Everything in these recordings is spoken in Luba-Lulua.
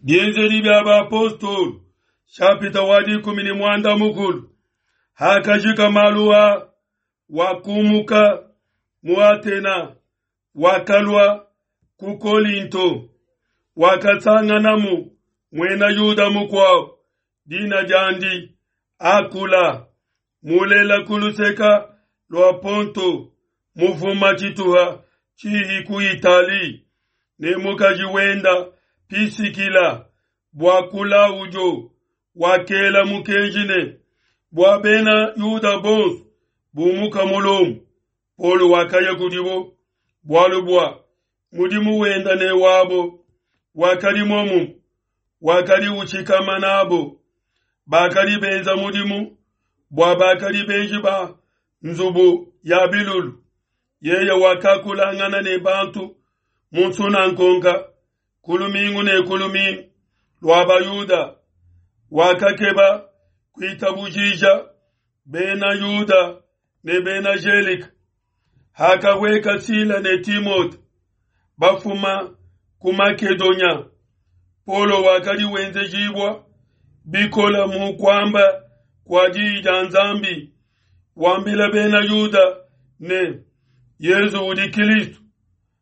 Bienzedi bia Bapostolo, shapita wa 16. Hakajika malu a, wakumuka mu Atena, wakalua ku Kolinto, wakasanganamu muena Yuda mukuabo, dina diandi Akula, mulela ku luseka lua Ponto, mufuma tshituha tshihi ku Itali, ne mukaji wenda Pisikila, bua Kulaudio wakela mukenji ne bua bena Yuda bonso bumuka mu Lomo. Paulo wakaya kudibo bualu bua mudimu wenda ne wabo wakadi muomumue, wakadi utshikama nabo, bakadi benza mudimu bua bakadi benji ba nzubu ya bilulu. Yeye wakakulangana ne bantu mu nsunangonga ku lumingu ne ku lumingu lua Bayuda, wakakeba kuitabujija bena Yuda ne bena Gelika. Hakahueka Sila ne Timote bafuma ku Makedonia, Paulo wakadi wenzejibua bikola mu kuamba kua diyi dia Nzambi, wambila bena Yuda ne Yezu udi Kristo.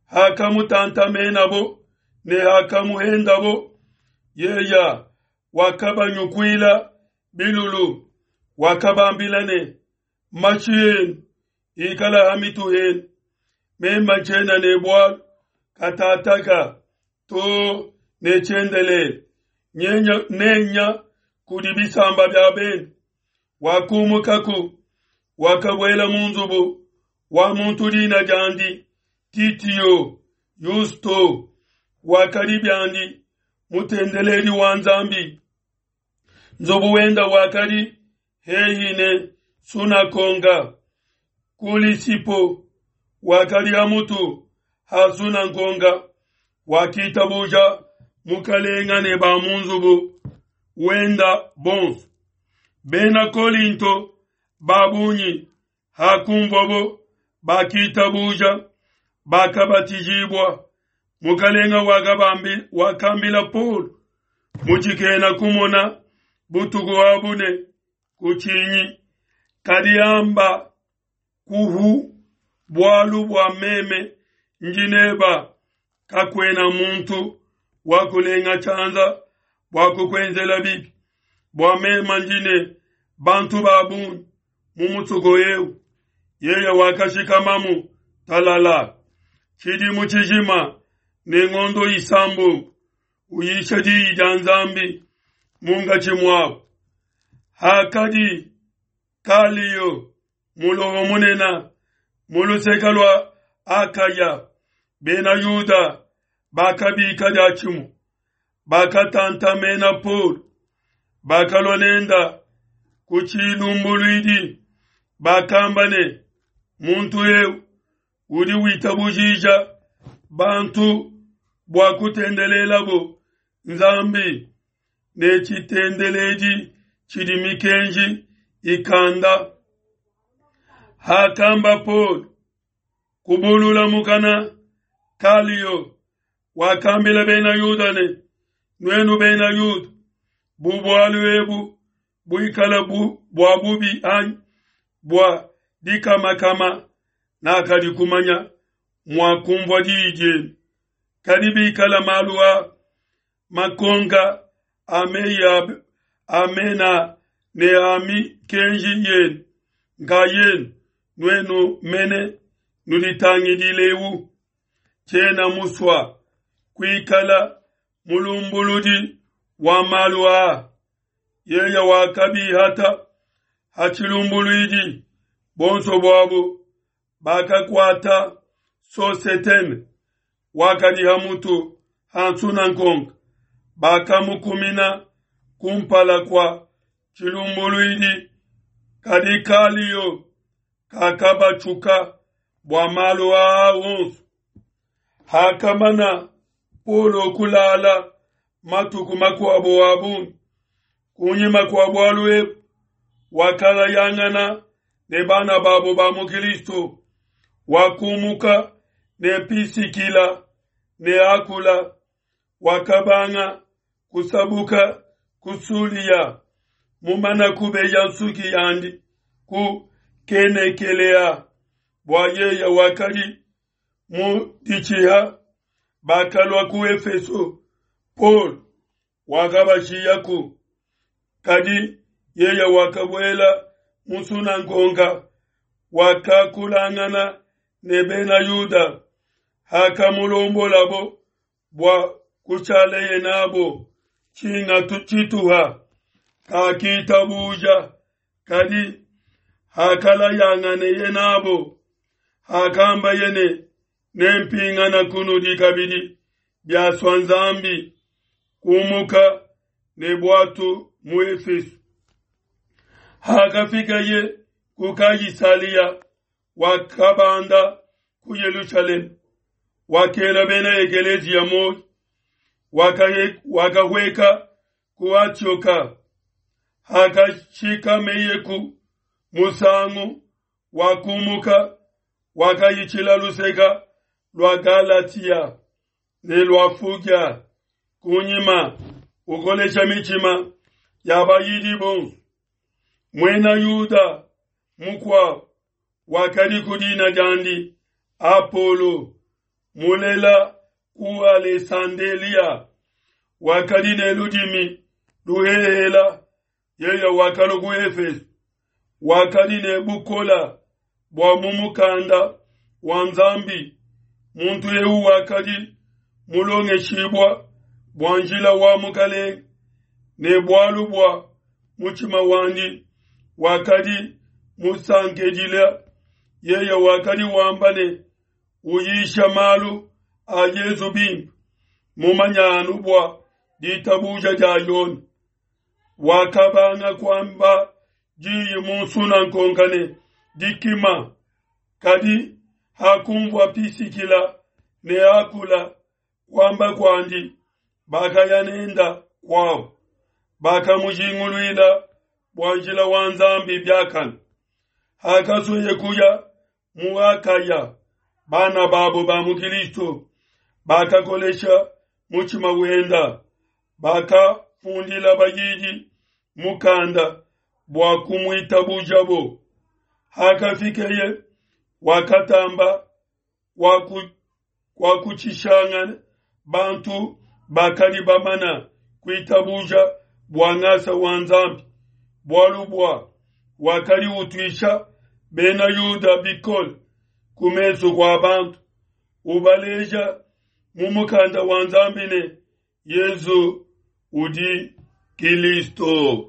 Hakamutantamenabo ne hakamuhendabo, yeya wakabanyukuila bilulu, wakabambila ne, mashi enu ikala ha mitu henu, meme tshiena ne bualu katataka to ne tshiendelele, nyenya nenya kudi bisamba bia bende. Wakumukaku, wakabuela mu nzubu wa muntu dina diandi Titio Yusto, wakadi biandi mutendeledi wa Nzambi. Nzubu wenda wakadi hehi ne sunakonga. Kulisipo wakadi ha mutu ha sunangonga, wakitabuja mukalenga ne ba mu nzubu wenda bonso. Bena Kolinto ba bungi hakumvuabo bakitabuja, bakabatijibua. Mukalenga wakambila Paulo mu tshikena kumona butuku abu ne, kutshinyi, kadi amba kuhu, bualu bua meme ndi neba, kakuena muntu wakulenga tshianza bua kukuenzela bibi, bua meme ndi ne bantu ba bungi mu musoko eu. Yeye wakashikamamu talala tshidimu tshijima ne ngondo isambombo, uyisha diyi dia Nzambi munkatshi muabo. Hakadi Kalio muloho munene mu luseke lua Akaya, bena Yuda bakabika diatshimue, bakatantamena Paulo, bakalua nenda ku tshilumbuluidi, bakamba ne, muntu eu udi witabujija bantu bua kutendelelabo Nzambi ne tshitendeledi tshidi mikenji ikanda. Hakamba Paulo kubulula mukana, Kalio wakambila bena Yuda ne, nuenu bena Yuda, bu bualu ebu buikala bua bubi anyi bua dikamakama, nakadi kumanya mua kumvua diyi dienu. Kadi bikala malu a makonka a meyi a mena ne a mikenji yenu nkayenu, nuenu mene nuditangidilewu. Tshiena musua kuikala mulumbuludi wa malu aa. Yeye wakabihata ha tshilumbuluidi, bonso buabo bakakuata Sosetene wakadi ha mutu ha nsunangonga, bakamukumina kumpala kua tshilumbuluidi. Kadi Kalio kakabatshuka bua malu aa onso. Hakamana Paulo kulala matuku makuabo a bungi kunyima kua bualu ebu, wakalayangana ne bana babo ba mu Kristo, wakumuka ne Pisikila ne Akula, wakabanga kusabuka ku Sulia, mumana kubeya nsuki yandi ku Kenekelea, bua yeye wakadi mu ditshiha. Bakalua ku Efeso, Paulo wakabashiyaku, kadi yeye wakabuela mu nsunangonga, wakakulangana ne Bena Yuda. Hakamulombolabo bua kushaleye nabo tshinga tshituha, kakitabuja, kadi hakalayanganeye nabo, hakambaye ne, Nempingana kunudi kabidi biasua Nzambi, kumuka ne buatu mu Efeso. Hakafikaye ku Kaisalia, wakabanda ku Yelushalema, wakela bena ekeleziya muoyo, wakahueka ku Atioka. Hakashikameyeku musangu, wakumuka, wakayitshila luseka lua Galatia ne lua Fugia kunyima, ukolesha mitshima ya bayidi bonso. Muena Yuda mukuabo wakadi ku dina diandi Apolo, mulela ku Alesandelia, wakadi ne ludimi luhehela. Yeye wakalua ku Efeso, wakadi ne bukola bua mu mukanda wa Nzambi. Muntu eu wakadi mulongeshibua bua njila wa Mukalenge, ne bualu bua mutshima wandi wakadi musankedila. Yeye wakadi wamba ne uyisha malu a Yezu bimpe, mumanya anu bua ditabuja dia Yone. Wakabanga kuamba diyi mu nsunankonka ne dikima, kadi hakumvua Pisikila ne Akula kuamba kuandi, bakaya nenda kuabo, bakamujinguluila bua njila wa Nzambi biakane. Hakasueye kuya mu Akaya, bana babo ba mu Kilisto bakakolesha mutshima wenda, bakafundila bayidi mukanda bua kumuitabujabo. Hakafikeye, wakatamba kuakutshishangana bantu bakadi bamana kuitabuja bua ngasa wa Nzambi, bualu bua wakadi utuisha bena Yuda bikole ku mesu kua bantu, ubaleja mu mukanda wa Nzambi ne Yezu udi Kilisto.